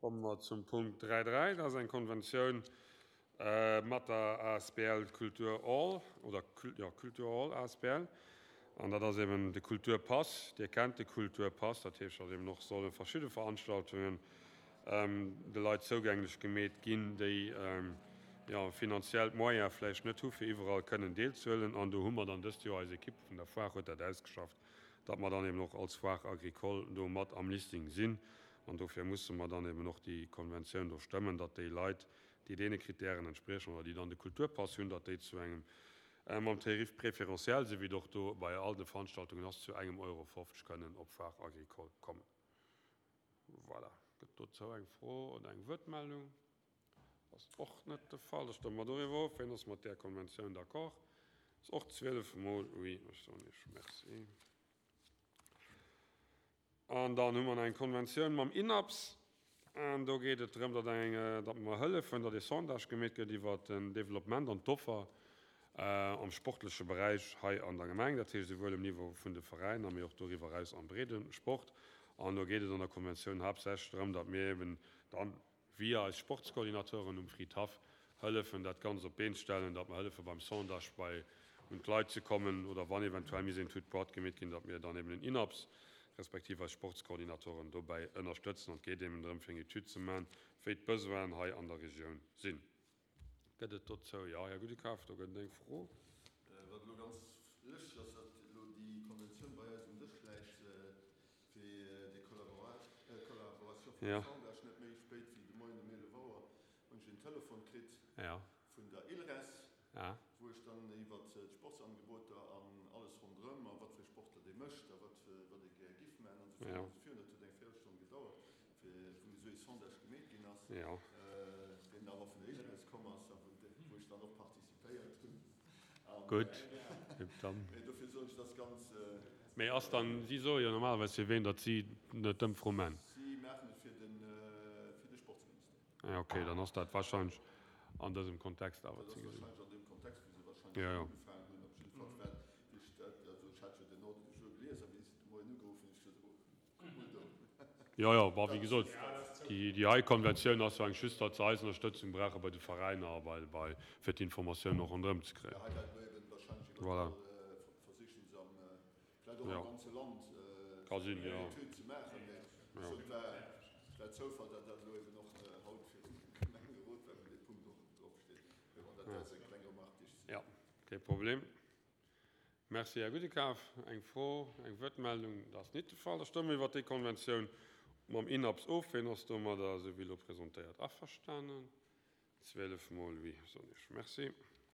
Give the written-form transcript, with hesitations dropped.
Komme mer zum Punkt 3.3. Dat ass eng Konventioun mat der asbl Culture All, oder jo, Culture All asbl. An dat ass eben de Kulturpass. Dir kennt de Kulturpass. Dat heescht, datt eben och solle verschidde Veranstaltungen de Leit zougänglech gemeet ginn, déi jo finanziell d'Moyene vläicht net hu fir iwwerall kënnen deelzehuelen. An do hu mer dann dëst Joer, eis Ekipp vun der Foire huet dat ausgeschafft, datt mer dann eben och als Foire agricole do mat am Listing sinn. An dofir musse mer dann eben och déi Konventioun do stëmmen, datt déi Leit, déi deene Kritären entspriechen oder déi dann de Kulturpass hunn, datt déi zu engem, mam Tarif préférentiel, esou wéi et och do bei all de Veranstaltungen ass, zu engem Euro 50 kënnen op d'Foire agricole kommen. Voilà. Gëtt dozou eng Fro oder eng Wuertmeldung? Ass och net de Fall. Da stëmme mer doriwwer of. Wien ass mat där Konventioun d'accord? Ass och 12 mol oui. Ech soen Iech Merci. An dann hu mer nach eng Konventioun mam INAPS. An do geet et drëm, datt eng, datt mer hëllefen, datt ee Sondage gemeet gëtt iwwert den Développement an d'Offer am sportleche Beräich hei an der Gemeng, dat heescht esouwuel um Niveau vun de Veräiner, mee och doriwwer eraus am breede Sport. An do geet et an der Konventioun haaptsächlech drëm, datt mir eben dann via eis Sportskoordinateuren um Fridhaff hëllefen, dat Ganzt op d'Been ze stellen, datt mer hëllefe beim Sondage bei un d'Leit ze kommen oder wann eventuell misst een Tout droit gemeet ginn, datt mir dann eben den INAPS respektiv eis Sportskoordinatoren dobäi ënnerstëtzen. An et geet eben drëm, fir eng Etüd ze maachen, wéi d'Besoinen hei an der Regioun sinn. Gëtt et dozou, jo, Här Gudekaf, do gëtt et eng Fro. Wat elo ganz lëschteg ass, datt elo déi Konventioun bei eis um Dësch läit, fir déi Collaboration vum Sondage. Net méi spéit wéi de Moien um 11 Auer hunn ech en Telefon kritt vun der ILRES, wou ech dann iwwert d'Sportsangeboter an alles ronderëm a wat fir Sportler dee mécht a wat wat ee gär giff maachen an esou virun an esou virun. Dat huet eng Véierelstonn gedauert, fir wou esou ee Sondage gemeet ginn ass, deen dann och vun der ILRES komm ass a wou ech dann och participéiert hunn. Gutt, dann. Mee dofir soen ech, dat ass ganz. Mee ass dann, si soe jo normalerweis fir ween, datt si d'Ëmfro man. Si maachen et fir de Sportsministère. Ah, okay, dann ass dat wahrscheinlech an dësem Kontext awer ze gesinn. Jo, jo. Jo, jo, bon, wéi gesot, déi hei Konventioun ass jo eng just, datt se eis Ënnerstëtzung brauche bei de Veräiner a bei, bei, fir d'Informatioun och ronderëm ze kréien. Voilà. Vläit och am ganze Land Ka sinn, jo. eng Etüd ze maachen, mä ech soen, et war, et war Zoufall, datt dat elo eben och haut virum Gemengerot war, wou dee Punkt och drop steet. Mä bon, dat war jetzt eng kleng Remarque, déi ech. Jo, kee Problem. Merci, Här Gudekaf. Eng Fro, eng Wuertmeldung? Dat ass nit de Fall. Da stëmme mer iwwert déi Konventioun mam INAPS of. Wien ass domadder, esou wéi elo presentéiert, averstanen? 12 mol oui, soen ech. Merci.